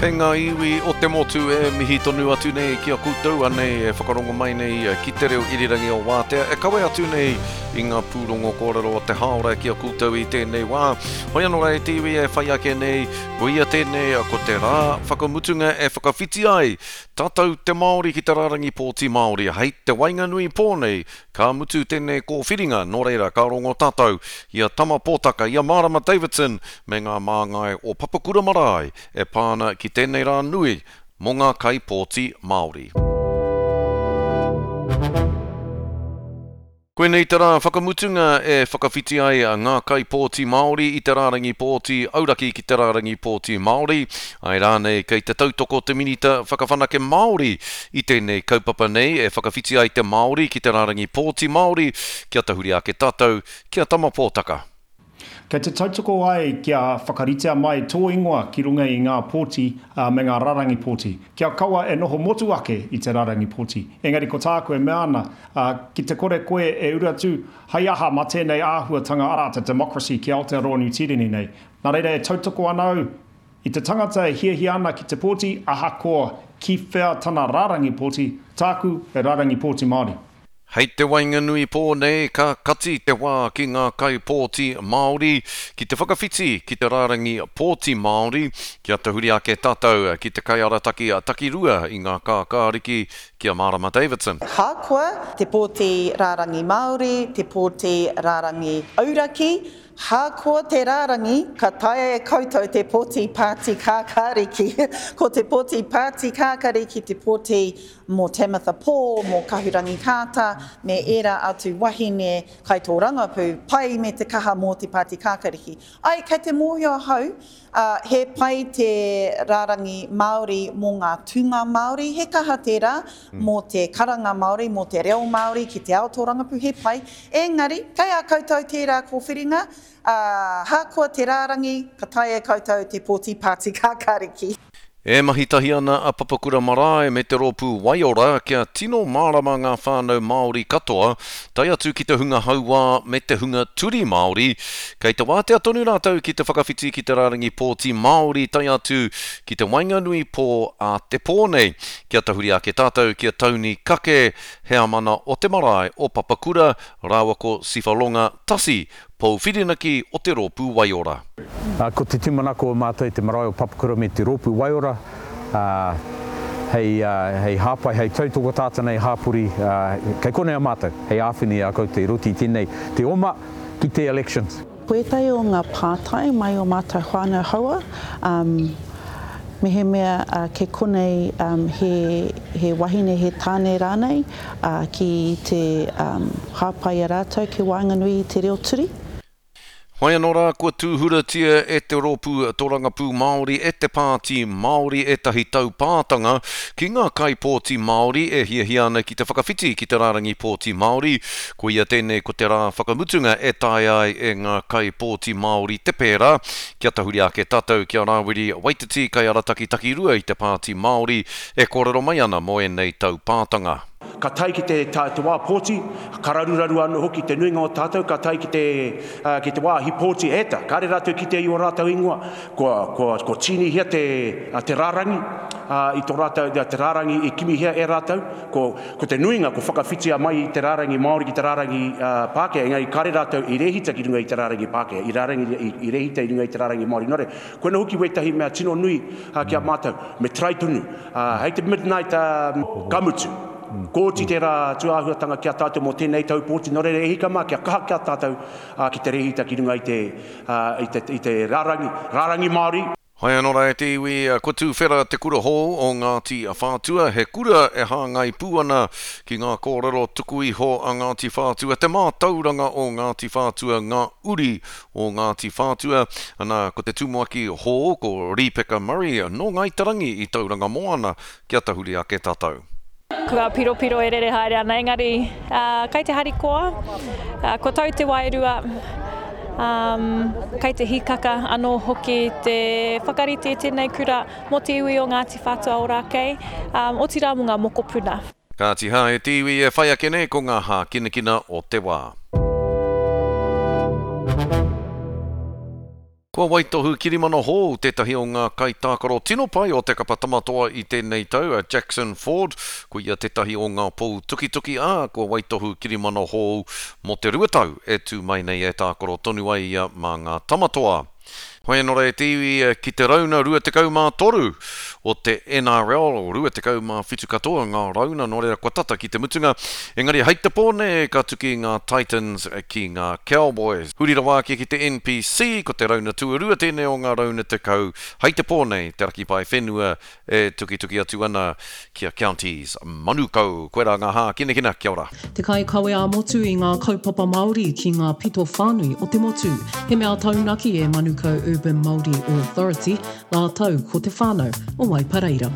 E ngā iwi o te motu e mihi tonu atu nei ki a koutou anei e whakarongo mai nei ki te reo irirangi o Wātea e kawe atu nei i ngā pūrongo kōrero o te hāora ki a koutou i tēnei wā. Hoi anō rā e te iwi e whai ake nei, koia tēnei ko te rā whakamutunga e whakawhiti ai tātou te Māori ki te rārangi pōti Māori hei te waenganui pō nei Ka mutu tēnei kōwhiringa, nō reira ka rongo tātou i a Tama Pōtaka, i a Mārama Davidson me ngā māngai o Papakura Marae e pā ana ki tēnei rā nui mō ngā kaipōti Māori. Koinei te rā whakamutunga e whakawhiti ai ngā kaipōti Māori i te rārangi pōti auraki ki te rārangi pōti Māori. Āe rānei kei te tautoko te Minita Whakawhanake Māori I tēnei kaupapa nei e whakawhiti ai te Māori ki te rārangi pōti Māori, kia tahuri ake tātou ki a Tama Pōtaka. Kei te tautoko ai kia whakaritea mai tō ingoa ki runga i ngā pōti me ngā rarangi pōti. Kia kaua e noho motu ake i te rarangi pōti. Engari ko tāku e mea ana, ki te kore koe e uru atu, hei aha mā tēnei āhuatanga arā te democracy ki Aotearoa Niu Tīreni nei. Nā reira e tautoko ana au I te tangata e hiahia ana ki te pōti ahakoa ki whea tana rārangi pōti, tāku he rārangi pōti Māori. Hei te waenganui pō nei ka kati te wā ki ngā kaipōti Māori ki te whakawhiti ki te rārangi pōti Māori, kia tahuri ake tātou ki te kaiarataki takirua i ngā kākāriki ki a Mārama Davidson. Hakoa te pōti rārangi Māori, te pōti rārangi auraki, Hākoa te rārangi, ka taea e koutou te pōti Pāti Kākāriki. Ko te pōti Pāti Kākariki te pōti mō Tamatha Paul, mō Kahurangi Carter, me ērā atu wahine kaitōrangapū pai me te kaha mō te Pāti Kākariki. Āe, kei te mōhio ahau, ā, he pai te rārangi Māori mō ngā tūnga Māori, he kaha tērā mō te karanga Māori, mō te reo Māori ki te ao tōrangapū, he pai. Engari, kei a koutou tērā kōwhiringa, ā, hākoa te rārangi, ka taea e koutou te pōti Pāti Kākāriki. E mahi tahi ana a Papakura Marae me te rōpū Waiora kia tino mārama ngā whānau Māori katoa, tae atu ki te hunga hauā me te hunga turi Māori, kei te wātea tonu rātou ki te whakawhiti ki te rārangi pōti Māori tae atu ki te waenganui pō a te pō nei. Kia tahuri ake tātou ki a Tauni Kake, heamana o te marae o Papakura, rāua ko Sifa Longa Tasi, pou whirinaki o te Rōpū Waiora. Ko te tūmanako o mātou i te marae o Papakura me te Rōpū Waiora, hei, hei hāpai, hei tautoko tātou nei hāpori, kei konei a mātou, hei āwhina i a koutou i roto i tēnei, te oma ki te elections. Ko ētahi o ngā pātai mai o mātou whānau haua, mehemea kei konei he wahine, he tāne rānei ki te hāpai i a rātou ki waenganui i te reo turi. Whai anō rā, kua tūhuratia e te Rōpū Torangapū Māori, e te Pāti Māori ētahi taupātanga ki ngā kaipōti Māori e hiahia ana ki te whakawhiti ki te rārangi pōti Māori. Koia tēnei ko te rā whakamutunga e taea ai e ngā kaipōti Māori te pērā. Kia tahuri ake tātou ki a Rāwiri Waititi, kaiarataki takirua i te Pāti Māori, e kōrero mai ana mō ēnei taupātanga. Ka tae ki te, te wā pōti, ka raruraru anō hoki te nuinga o tātou, ka tae ki te, ki te wāhi pōti, e ta, kāre rātou kite i ō rātou ingoa, kua, kua, kua tīnihia te, te rārangi, i tō rātou, te rārangi i kimihia e rātou, ko, Ko te nuinga kua whakawhitia mai i te rārangi Māori ki te rārangi Pākehā, engari kāre rātou i rēhita ki runga i te rārangi Pākehā, i rārangi, i, i rēhita i runga i te rārangi Māori. Nō reira, koina hoki wētahi mea tino nui ki a mātou, me try tonu. Hei te midnight, ka mutu. Kua oti tērā tūāhuatanga ki a tātou mō tēnei tau pōti, nō reira e hika mā, kia kaha ki a tātou ki te rēhita ki runga i te, i te, i te rārangi, rārangi Māori. Hai anō rā e te iwi, kua tūwhera te kura hou o Ngāti Whātua, he kura e hāngai pū ana ki ngā kōrero tuku iho a Ngāti Whātua, te mātauranga o Ngāti Whātua, ngā uri o Ngāti Whātua. Ana, ko te tumuaki hou, ko Rīpeka Murray, nō Ngāi Te Rangi i Tauranga Moana, kia tahuri ake tātou. Ko ngā piropiro e rere haere ana, engari kei te harikoa, kua tau te wairua, kei te hīkaka anō hoki te whakarite i tēnei kura mō te iwi o Ngāti Whātua Ōrākei, otirā mō ngā mokopuna. Kāti hā e te iwi e whai ake nei ko ngā hākinakina o te wā. Kua waitohu kirimana hou tētahi o ngā kaitākaro tino pai o te kapa Tamatoa i tēnei tau, a Jackson Ford. Ko ia tētahi o ngā pou tukituki, ā, kua waitohu kirimana hou mō te rua tau e tū mai nei e tākaro tonu ai ia mā ngā Tamatoa. Hoi anō rā e te iwi ki te rauna 23 o te NRL, 27 katoa ngā rauna, nō reira kua tata ki te mutunga. Engari hei te pō nei ka tuki ngā Titans ki ngā Cowboys. Huri rawa ake ki te NPC, ko te rauna tuarua tēnei o ngā rauna 10, hei te pō nei te raki pae whenua e tukituki atu ana ki a Counties Manukau. Koirā ngā hākinakina, kia ora. Te kaikawe ā-motu i ngā kaupapa Māori ki ngā pito whānui o te motu. He mea taunaki e Manukau Urban Māori Authority rātou ko te whānau o Waipareira.